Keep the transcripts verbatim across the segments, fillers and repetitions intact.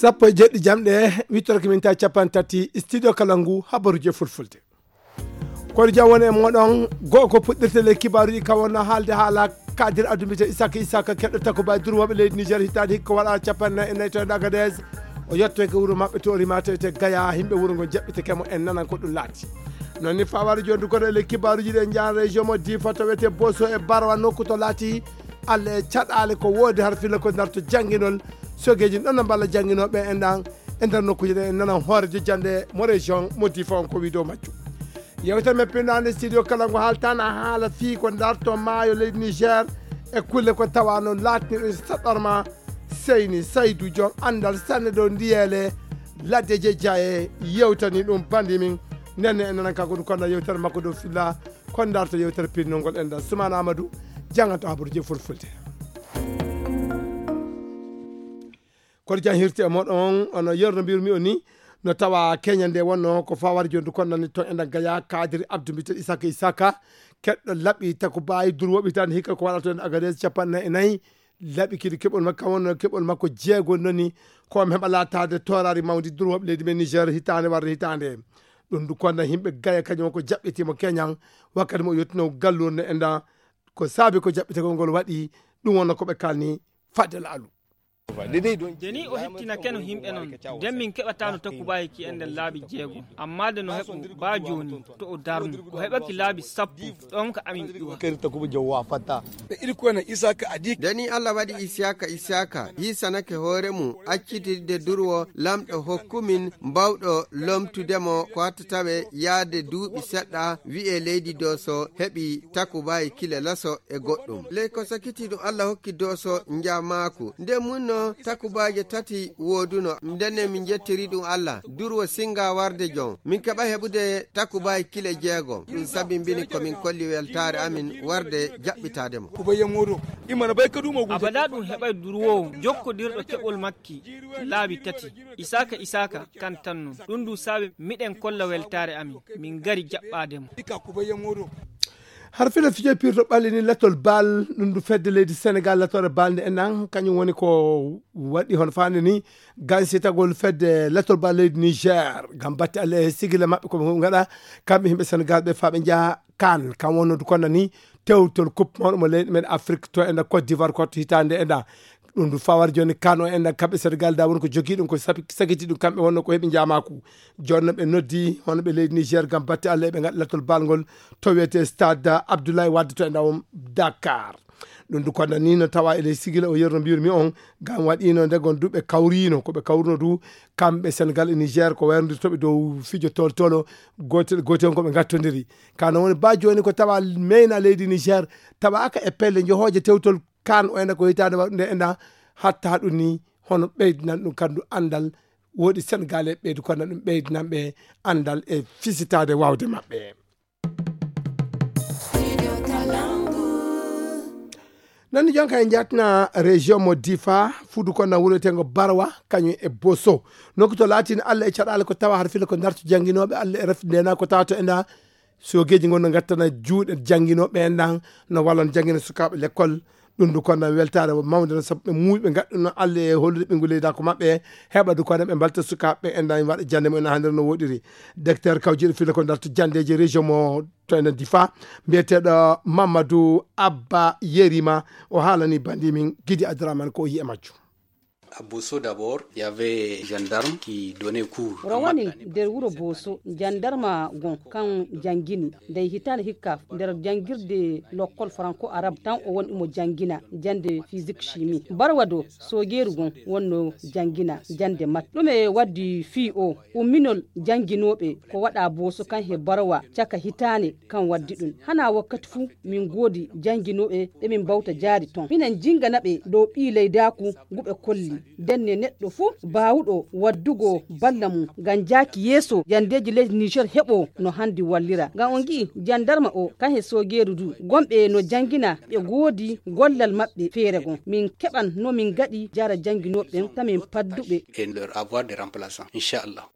Sappo e jeɗɗi jamɗe, wittorki min ta capanɗe tati, studio kala ngu, habaruji e fulfulde. Kono jam woni e moɗon, go'o ko puɗɗirte le kibaaruji ka wonno haalde haala kadir addumbite Isaka Isaka keɗɗo takuba e durwoɓe leydi Niger hitaande hikka waɗa capanɗe nayi e nayi to e Agadez. O yettoyke wuro maɓɓe to o rimata e te Gaya, himɓe wuro ngo jaɓɓiteke mo en nanan ko ɗum laati. Non ni fawari joni du kono e le kibaaruji ɗe jaan région mo Difa to wiyete Boso e Barwa nokku to laati Alla e caɗaale ko woodi har fila ko darto jannginol sogeeji ɗon no mballa jannginooɓe en ɗan e nder nokkuuje ɗe en nanan hoorejo jannde mo région mo Difa on ko wii dow majjum. Yewtere men pinnaande studio kala ngo haaltana haala fii ko darto maayo leydi Niger e kulle ko tawano laatni ɗum saɗɗorma seyni saydu joom anndal sanne ɗo ndiyeele ladde je jaye yewtani ɗum bandi min nenne en nanan kanko ɗum konna yewtere makko dow filla ko darto yewtere pinnol ngol en ɗan Sumana Amadou jannganto habaruji e fulfulde. Kono jan hirti e moɗon ono yerno mbirmi o ni no tawa Kenya nde wonno ko fawar jondu kon nani ton enɗan gaya kadiri abdu mbiten Isaka Isaka keɗɗo laɓi takubayi durwoɓe hitande hikka ko waɗata en Agadez capanɗe nayi e nayi laɓi kidi keɓol makko wonno keɓol makko jeego noni ko mi heɓa latade torari mawdi durwoɓe leydi men Niger hitande warde hitande ɗum du konna himɓe gaya kañum ko jaɓɓitimo Kenyan wakkati mo yettino gallurde enɗan ko saabi ko jaɓɓitagol ngol waɗi ɗum wonno ko ɓe kalni fadde laalu. Deni o hettinakeno himɓe non, nden min keɓatano takubayi ki e nder laabi jeego. Amma de no heɓo ba joni, to o darnu, o heɓaki laabi sappo, ɗon ka amin ƴuwa. Deni Allah waɗi Isiyaka, Isiyaka hisanake hoore mum, accitirde durwo Lamɗo hokkumin, mbawɗo lomtudemo ko hatta tawe yaade duuɓi seɗɗa, wi'e leydi Doso heɓi takubayi kile laso, e goɗɗum. Ley ko sakiti ɗum Allah hokki Doso njamaaku. Nde munno takubaaje tati wooduno. Ndenne min njettiri ɗum Allah. Durwo singa warde jon. Min keɓa heɓude takubaaji kile jeego. Ɗum sabimbini ko min kolli weltaare amin warde jaɓɓitaade mo. Abada ɗum heɓay durwoowo jokkodirɗo keɓol makki laabi tati. Isaaka, Isaaka, kan tan non. Ɗum du saabi miɗen kolla weltaare amin. Min ngari jaɓɓaade mo. Har fila fijo pirto ɓalli ni latol bal ɗum du fedde leydi Senegal latore bal nde enan kañum woni ko waɗi hono fande ni gansitagol fedde latol bal leydi Niger ngam batte alle e sigila maɓɓe ko ɓe gaɗa kamɓe himɓe Senegal ɓe faɓe jaa kan kam wonno du konna ni tewtol coupe mawɗo mo leyɗe men Afrique to enda Côte d'Ivoire kotto hitande enda ɗum du fawar joni kano enda kamɓe Senegal da woni ko jogi ɗum ko sabi- sagiti ɗum kamɓe wonno ko heɓi jamaku joni no ɓe noddi hono ɓe leydi Niger ngam batte Allah eɓe gaɗa lattol balngol to wiyete stade Abdoulaye Wade to enda on Dakar ɗum du konna ni no tawa e ley sigila o yerno mbiyirmi on ngam waɗino nde gon du ɓe kawrino ko ɓe kawruno du kamɓe Senegal e Niger ko wayrodirtoɓe dow fijo toltolo gotel gotel on ko ɓe gattodiri kano woni ba joni ko tawa meyna leydi Niger tawa aka e pelle johoje tewtol kan o enda ko hitande waɗude enda hatta ɗum ni hono ɓeydinan ɗum kandu andal woɗi Senegal e ɓeydu kono ɗum ɓeydinan ɓe andal e fisitade wawde maɓɓe. Nani jonka e jatna région mo Difa fudu konna wuretengo Barwa kañum e Boso nokku to laatini Allah e caɗale ko tawa har fila ko darto janginoɓe Allah e rafi ndena ko tawa to enda sogeji gon no gattana juuɗe janginoɓe en ɗan no wallan jangina sukaɓe l'école ɗum du konna weltare mawde no sabu ɓe muuyi ɓe gaɗɗuno Allah e hollude ɓe nguleyda ko maɓɓe heɓa du konna ɓe mbalta sukaɓe en ɗan waɗa jande mumen ha nder no woɗiri docteur kawjiɗo fila ko darto jandeji région mo to enen Difa mbiyeteɗo Mamadou Abba Yerima o haalani bandi min Gidi Adraman ko o yi e majjum. À Bosso d'abord, il y avait gendarme qui donnait cours. Rowani nder wuro Boso jandarma gon kan jangini ndey hitande hikka nder jangirde lokkol franco arabe tan o woni mo jangina jande physique chimie barwa do sogeru gon wonno jangina jande mat ɗume waddi fii o umminol janginoɓe ko waɗa Boso kan he barwa caka hitande kan waddi ɗum hana wakkati fuu min goodi jannginooɓe ɓe min mbawta jaari ton minen jinngana ɓe dow ɓii leydaaku ngu ɓe kolli ndenne neɗɗo fuu baawuɗo waddugo balla mum ngam jaaki yeeso janndeeji leydi niger heɓoo no hanndi wallira ngam on ngi'i janndarma o kan he soogeeru du gomɓe no janngina ɓe ngoodi gollal maɓɓe feere gon min keɓan no min ngaɗi jaara jannginooɓe ɓen tamin padduɓe. Et leur avoir des remplaçants inchallah.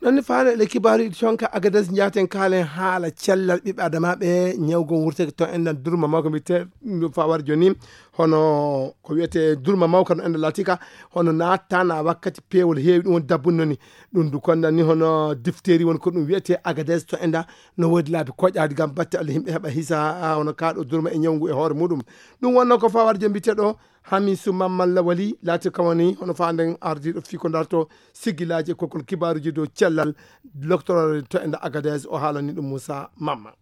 Noon ne faale le kibaaru iɗi toon ka Agadez njaaten kaalen haala cellal ɓiɓɓe adamaaɓe ñawgo wurteke toon en nan durma makko mbiyetee ɗum fawar jooni hono ko wiyetee durma mawka no enda laatika, hono naattana wakkati peewol heewi ɗum woni dabbunno ni. Ɗum du konda ni hono difteri woni ko ɗum wiyetee agades to enda, no woodi laabi koƴaadi ngam batte Allah yimɓe heɓa hisa, a, hono kaaɗo durma e ñawngu e hoore muɗum. Ɗum wonno ko fawar jom mbiteɗo Hamisu Mamman Lawali, laati kawani hono faanden ardiiɗo fii ko darto sigilaaji e kokol kibaaruji dow cellal loktoroore to enda agades, o haalani ɗum Musa Mamman.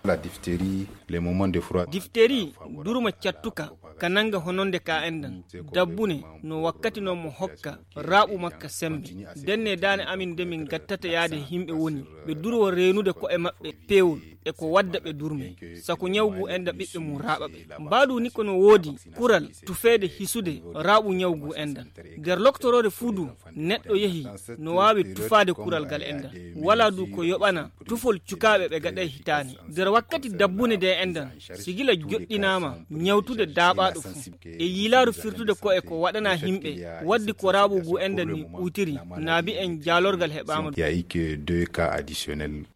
La diphtérie, les moments de froid. Diphtérie, durma cattuka, ka nanga hononde ka endan. Dabbune, no wakkati non mo hokka, raaɓu makka sembe. Denne daane amin de min gattata yaade himɓe woni, ɓe durwo reenude ko'e maɓɓe peewol, e ko wadda ɓe durme. Sako ñawgu enda ɓiɓɓe mum raaɓa ɓe. Mbaadu ni ko no woodi, kural, tufeede hisude, raaɓu ñawgu endan. Nder loktoroore fuu du, neɗɗo yehi, no waawi tufaade kural gal endan. Wala du ko yoɓana, tufol cukaaɓe ɓe gaɗay hitaane. Nder wakkati dabbune de enɗan, sigila joɗɗinaama ñawtude daaɓaaɗo fuu. E yiilaaru firtude ko e ko waɗanaa yimɓe, waddi ko raaɓugu enɗan ni ɓuutiri, naabi en jaalorgal heɓaama. Il y a eu que deux cas additionnels.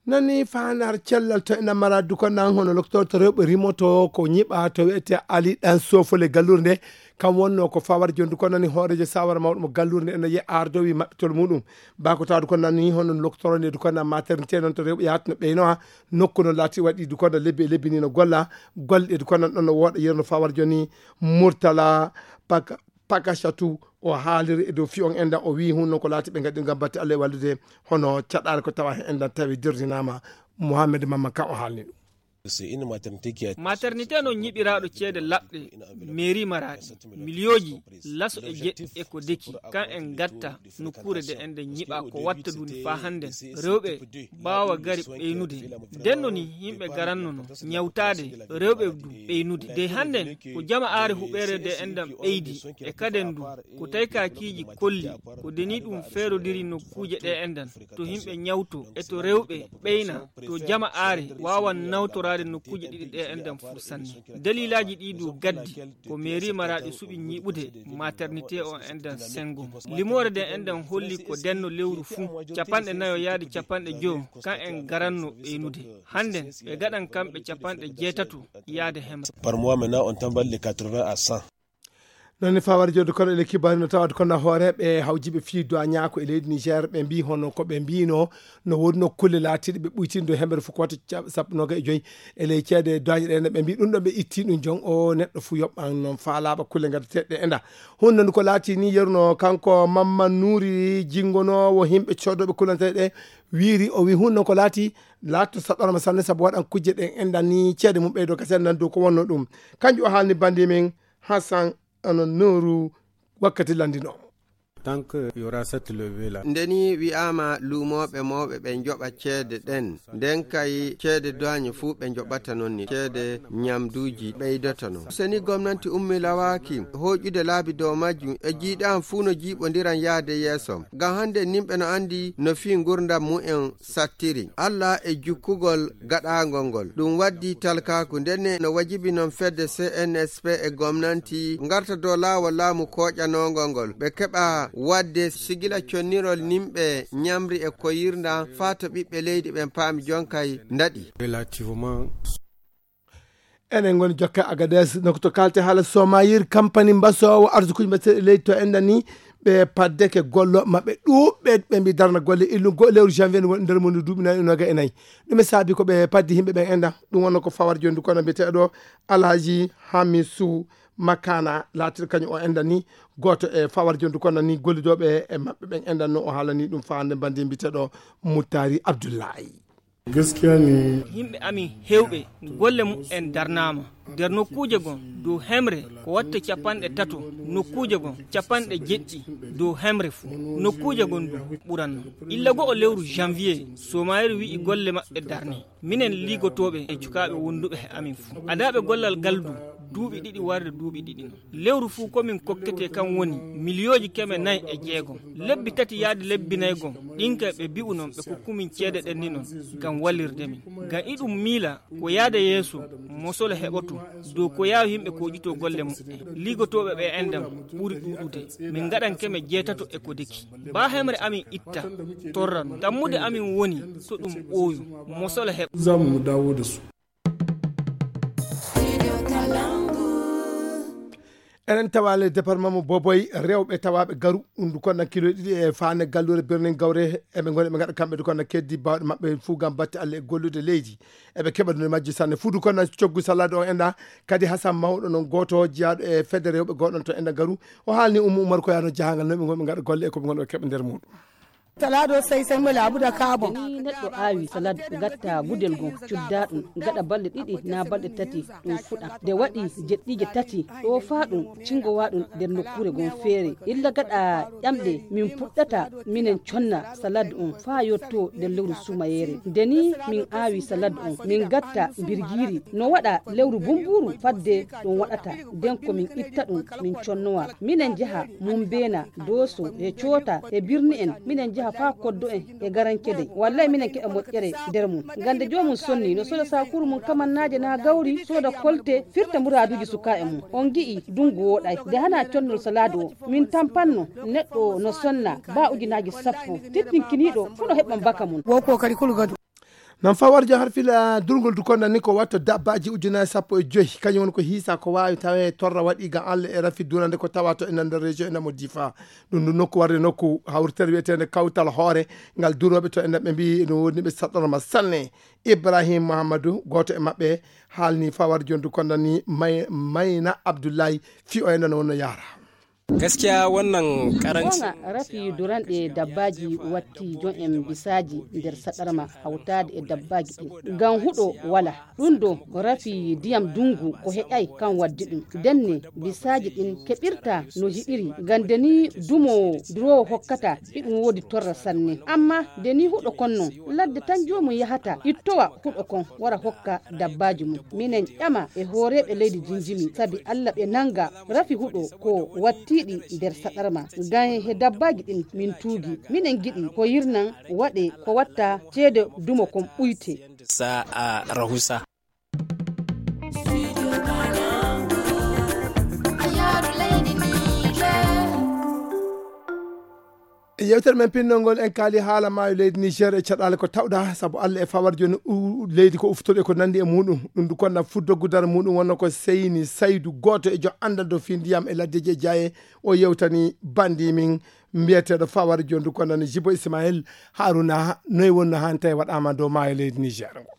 Nani faandaar cellal to ena mara duko nan hono loktor to rewɓe rimoto ko ñiɓa to wiyete Ali ɗan sofole gallure nde. Kam wonno ko fawar jondu ko nani hoorejo sawara mawɗo mo gallure nde ena ye ardowi maɓɓitol muɗum. Bako tawa duko nani hono loktoro nde duko nan maternité noon to rewɓe yahatno ɓeynowa nokku no laati waɗi duko na lebbi e lebbi ni no golla. Golle ɗe duko nan ɗon no woɗa yerno fawar joni murtala paka pakasatu o haaliri e dow fiyon enɗan o wii hun noon ko laati ɓe ngaɗi ngam batte Allah e wallude hono caɗaare ko tawa he enɗan tawi dirrinaama. Mohamed Mamma kan o haalni ɗum. Maternité noon ñiɓiraaɗo ceede laɓɗe mairie maraɗi miliyooji laso e jeɗɗi e ko deki kan en gatta nokkuure de enɗen ñiɓa ko watta duni faa hannden rewɓe ɓaawa gari ɓeynude. Ndenno ni yimɓe garanno no ñawtaade rewɓe du ɓeynude de hannden ko jama aare huɓeere de enɗan ɓeydi e kaden du ko taykaakiiji kolli ko deni ɗum feerodiri nokkuuje ɗe enɗan to yimɓe ñawto e to rewɓe ɓeyna to jama aare waawan nawtoraade nokkuuje ɗiɗi ɗe enɗan fuu sanne. Daliilaaji ɗi du gaddi ko mairie maraɗi suɓi ñiɓude maternité o enɗan sengo limoore de enɗan holli ko denno lewru fuu capanɗe nayo yaade capanɗe joyo kan en garanno ɓeynude. Hannden ɓe gaɗan kamɓe capanɗe jeetato yaade hemre. Par mois maintenant on tamballe quatre-vingts à cent. Noon ne fawar jodde kono ele kibari no tawata kono hooreɓe hawjiɓe fii duwañaako e leydi Niger ɓe mbii hono ko ɓe mbiino no woodi nokkulle laatiiɗe ɓe ɓuytindo hemere fof ko watta ca- sappo noga e joyi e ley ceede duwañe ɗe ɓe mbii ɗum ɗo ɓe itti ɗum jon o neɗɗo fof yoɓɓan noon faalaɓa kulle gaddateɗe e nda. Hun noon ko laati ni yeruno kanko Mamman Nuuri jingonoowo himɓe coodoɓe kullantee ɗe wiiri o wi hun noon ko laati laatto saɗɗorama sanne sabu waɗan kujje ɗen enɗan ni ceede mum ɓeydo ka sendan dow ko wonno ɗum. Kanjum o haalni bandi men Hassan ano nooru wakkati lanndinoomo. Tant que y aura cette levée là. Nde ni wi'aama luumooɓe mawɓe ɓe njoɓa ceede ɗen, nden kay ceede duwaañe fuu ɓe njoɓata non ni ceede ñamduuji ɓeydoto non. So ni gomnanti ummilawaaki hooƴude laabi dow majjum e jiiɗaam fuu no jiiɓondiran yahde yeeso. Ngam hannde nimɓe no anndi no fii ngurndam mumen sattiri. Alla e jukkugol gaɗaangol ngol. Ɗum waddi talkaaku ndenne no wajibi non fedde C N S P e gomnanti ngarta dow laawol laamu kooƴanoongol ngol. Ɓe keɓa waɗde sigila connirol nimɓe ñamri e koyirnda faa to ɓiɓɓe leydi ɓen paami jonkay ndaɗi. Relativement. Enen ngoni jokke Agadez nokto kalte haala somayir kampani mbasoowo arsukuji mbaɗteɗi leydi to enɗan ni ɓe paddeke gollo maɓɓe ɗuɓɓe ɓe mbi darna golle illu go lewru janvier ni woni nder mum duuɓi nayi noga e nayi. Ɗum e saabi ko ɓe paddi yimɓe ɓen enɗan ɗum wonno ko fawar joni kono mbiyeteɗo Alhaji Hamisu Makana laatiɗo kañum o enɗan ni gooto e fawar joni kono ni gollidoɓe e maɓɓe ɓen enɗan no o haalani ɗum fawande mbandi mbiyeteɗo Muttari Abdullahi. Gaskiya ne. Yimɓe amin heewɓe golle mumen darnaama nder nokkuuje gon dow hemre ko watta capanɗe tato nokkuuje gon capanɗe jeɗɗi dow hemre fuu nokkuuje gon du ɓuranno illa go'o lewru janvier somayir wi'i golle maɓɓe darne minen ligotooɓe e cukaaɓe wonduɓe he amin fuu adaaɓe gollal ngal du duuɓi ɗiɗi warde duuɓi ɗiɗi non lewru fuu ko min kokketee kan woni miliyooji keme nay e jeegom lebbi tati yaade lebbi nay gom ɗin kay ɓe bi'u non ɓe kokku min ceede ɗen ni non ngam wallirde min ngam iɗum miila ko yaade yeeso mosolo heɓoto dow ko yaawi yimɓe koƴito golle mumen ligotooɓe ɓe enɗan ɓuri ɗuuɗude min ngaɗan keme jeetato e ko deki baa hemre amin itta torra non tammude amin woni to ɗum ɓooyu mosolo heɓa. Za mu dawo da su. Enen tawaale département mo Boboy, rewɓe tawaaɓe garu, ɗum ndu konna kilo ɗiɗi e faane galluure birnin gawre, eɓe ngoni ɓe ngaɗa kamɓe ndu konna keddi baawɗe maɓɓe fuu ngam batte Allah e gollude leydi. Eɓe keɓa ɗum e majji sanne. Fuu ndu konna coggu salade o enda, kadi Hasan Mawɗo noon gooto jiyaaɗo e fedde rewɓe gooɗon to enda garu. O haalni Ummu Umar ko yaano jahangal no ɓe ngoni ɓe ngaɗa golle e ko ɓe ngoni ɓe keɓa nder muɗum. Salado sai sai mala abu da kabon. Ni neɗɗo aawi salade, gatta gudel goo, cudda ɗum, gaɗa balɗe ɗiɗi naa balɗe tati, ɗum fuɗa. Nde waɗi jeɗɗiije tati, ɗo faa ɗum, cingowa ɗum nder nokkuure goo feere. Illa gaɗa ƴamɗe, min puɗɗata, minen conna salade on faa yotto nder lewru sumayeere. Nde ni min aawi salade on, min gatta birgiiri. No waɗa lewru bumbuuru fadde ɗum waɗata. Nden ko min itta ɗum, min connowa. Minen njaha Mumbeena, Dooso, e Coota, e birni en, minen njaha faa koddo en e garankede. Wallay minen keɓa moƴƴere nder mum. Ngannde joomum sonni, no sooda saakuru mum kamannaaje naa gawri, sooda kolte, firta muraaduuji sukaaɓe mum. On ngi'i, ndungu wooɗay. Nde hanaa connol salaadu o, min tampanno neɗɗo no sonna baa ujunaaji sappo. Tittinkiniiɗo fuu no heɓan baka mum. Wo kokari kulu gadu. Nan fawar jan har fila durngol du konda ni ko watta dabbaaji ujunaaji sappo e joy. Kañum woni ko hiisa ko waawi tawe torra waɗi ga Allah e rafi durande ko tawa to ena nder région ena mo Difa. Ɗum ɗum nokku warde nokku hawritere wiyeteende Kawtal Hoore ngal durooɓe to ena ɓe mbiyi no woni ɓe saɗɗorma sanne. Ibrahim Muhammadu, gooto e maɓɓe, haalni fawar jon du konda ni May-, Mayna Abdullahi fi o ena no wonno yaara. Gaskiya wannan karancin Gonga rafi duranɗe dabbaaji watti jon en bisaaji nder saɗarma hawtaade e dabbaaji ɗin. Ngam huɗo wala. Ɗum ɗo rafi ndiyam dungu ko heƴay kan waddi ɗum. Denne bisaaji ɗin keɓirta no hiɗiri. Ngam de ni dumo duroowo hokkata iɗum woodi torra sanne. Amma de ni huɗo kon non, ladde tan joomum yahata ittowa huɗo kon wara hokka dabbaaji mum. Minen ƴama e hooreeɓe leydi Jinjimi, sabi Alla ɓe nanga rafi huɗo ko wattiiɗi nder saɗarma. Ngam he dabbaaji ɗin min tuugi. Minen ngiɗi ko yirnan waɗe ko watta ceede dumo kon ɓuyte. Sa'a rahusa. E yewtere men pinnol ngol, en kaali haala maayo leydi Niger e caɗaale ko tawɗa, sabu Allah e fawar jooni u-, leydi ko uftoɗo e ko nanndi e muɗum. Ɗum du konna fuddogu dara muɗum wonno ko Seyni Saydu, gooto e jo anndanɗo fii ndiyam e laddeji e jaaye. O yewtani banndi min mbiyeteeɗo fawar jooni du konna ni Jibo Ismail Haruna, noy wonno hannde tawi waɗaama dow maayo leydi Niger ngo.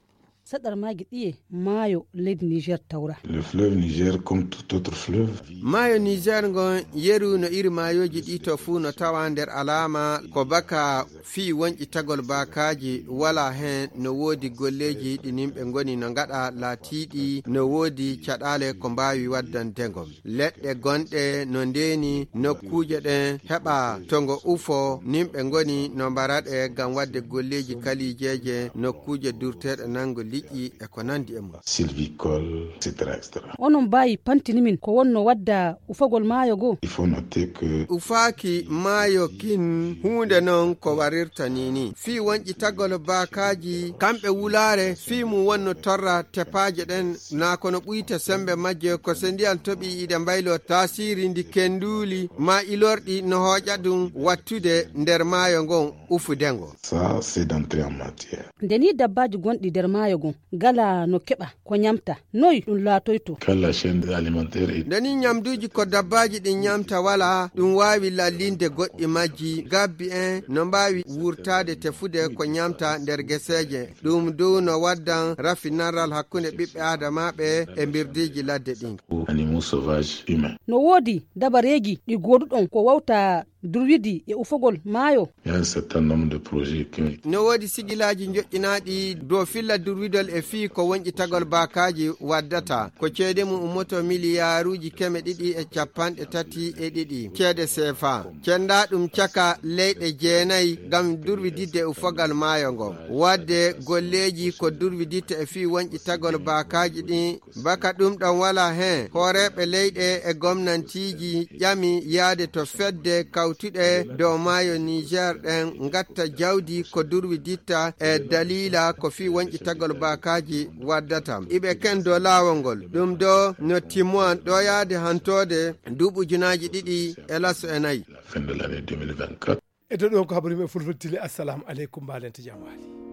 Saɗarmaaji ɗiye maayo leydi Niger tawra? Le fleuve Niger, comme tout autre fleuve. Maayo Niger ngon yeru no iri maayooji ɗi to fuu no tawa nder alaama ko baka fii wonƴitagol baakaaji wala hen no woodi golleeji ɗi nimɓe ngoni no ngaɗa laatiiɗi no woodi caɗaale ko mbaawi waddande ngol. Leɗɗe gonɗe no ndeeni nokkuuje ɗen heɓa to ngo ufo, nimɓe ngoni no mbara ɗe ngam waɗde golleeji kaliijeeje, nokkuuje durteeɗe nango liƴƴi e ko nanndi e mum. Sylvicole, et cetera, et cetera. Onon mbaawi pantini min ko wonno wadda ufagol maayo goo? Il faut noter que Ufaaki maayo kin huunde non ko warirta ni ni. Fii wonƴitagol baakaaji, kamɓe wulaare, fii mum wonno torra tepaaje ɗen, naa kono ɓuyte sembe majje ko se ndiyan toɓi iɗe mbaylo taasiri ndi kenduuli maa ilorɗi no hooƴa ɗum wattude nder maayo ngon ufude ngo. Ça, c'est d'entrée en matière. Nde ni dabbaaji gonɗi nder maayo ngon ngala no keɓa ko ñamta, noy ɗum laatoyto? Quand la chaîne alimentaire est Nde ni ñamduuji ko dabbaaji ɗin ñamta wala, ɗum waawi lallinde goɗɗi majji, gabbi en no mbaawi wurtaade tefude ko ñamta nder geseeje. Ɗum dow no waddan rafi narral hakkunde ɓiɓɓe aadamaaɓe e mbirdiiji ladde ɗin. Animaux sauvages humains. No woodi dabareeji ɗi gooduɗon ko wawta durwidi e ufogol maayo? Il y a un certain nombre de projets qui ont été No woodi sigilaaji njoƴƴinaaɗi dow filla durwidol e fii ko wonƴitagol baakaaji waddata. Ko ceede mum ummoto miliyaaruuji keme ɗiɗi e capanɗe tati e ɗiɗi ceede seefa. Cendaa ɗum caka leyɗe jeenayi ngam durwididde ufogal maayo ngo. Waɗde golleeji ko durwiditta e fii wonƴitagol baakaaji ɗin. Baka ɗum ɗon wala hen, hooreeɓe leyɗe e gomnantiiji ƴami yaade to fedde kawtuɗe dow maayo Niger ɗen ngatta jawdi ko durwiditta e daliila ko fii wonƴitagol baakaaji waddata. Iɓe ken dow laawol ngol. Ɗum ɗo no timmowan ɗo yaade hantoode duuɓi ujunaaji ɗiɗi e laso e nayi. Fin de l'année deux mille vingt-quatre. E to ɗo ko habaru men fulfulde tile. Assalamu aleykum, mbaɗen to jam waali.